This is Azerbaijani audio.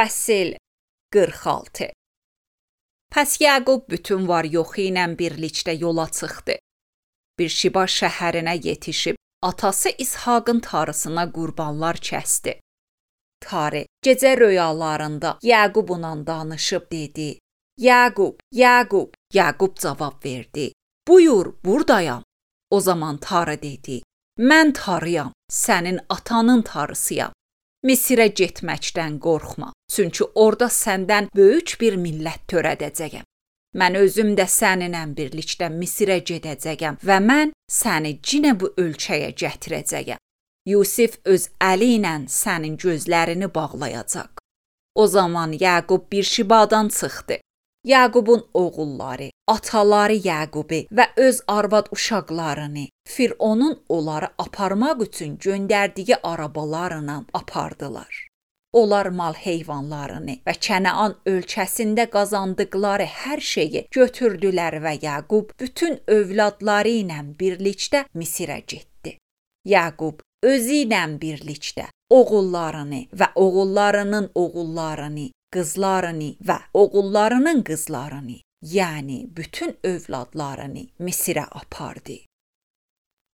Fəsil 46. Pəs Yaqub bütün var-yoxu ilə birlikdə yola çıxdı. Birşiba şəhərinə yetişib, atası İshaqın tarısına qurbanlar kəsdi. Tarı gecə röyalarında Yaqubla danışıb dedi: Yaqub, Yaqub. Yaqub cavab verdi: Buyur, buradayam. O zaman Tarı dedi: Mən tarıyam, sənin atanın tarısıyam. Misirə getməkdən qorxma, çünki orada səndən böyük bir millət törədəcəyəm. Mən özüm də səninlə birlikdə Misirə gedəcəyəm və mən səni yenə bu ölkəyə gətirəcəyəm. Yusif öz əli ilə sənin gözlərini bağlayacaq. O zaman Yaqub Birşibadan çıxdı. Yaqubun oğulları, ataları Yaqubi və öz arvad uşaqlarını Fironun onları aparmaq üçün göndərdiyi arabalarla apardılar. Onlar mal heyvanlarını və Kənaan ölkəsində qazandıqları hər şeyi götürdülər və Yaqub bütün övladları ilə birlikdə Misirə getdi. Yaqub özü ilə birlikdə oğullarını və oğullarının oğullarını, qızlarını və oğullarının qızlarını, yəni bütün övladlarını Misirə apardı.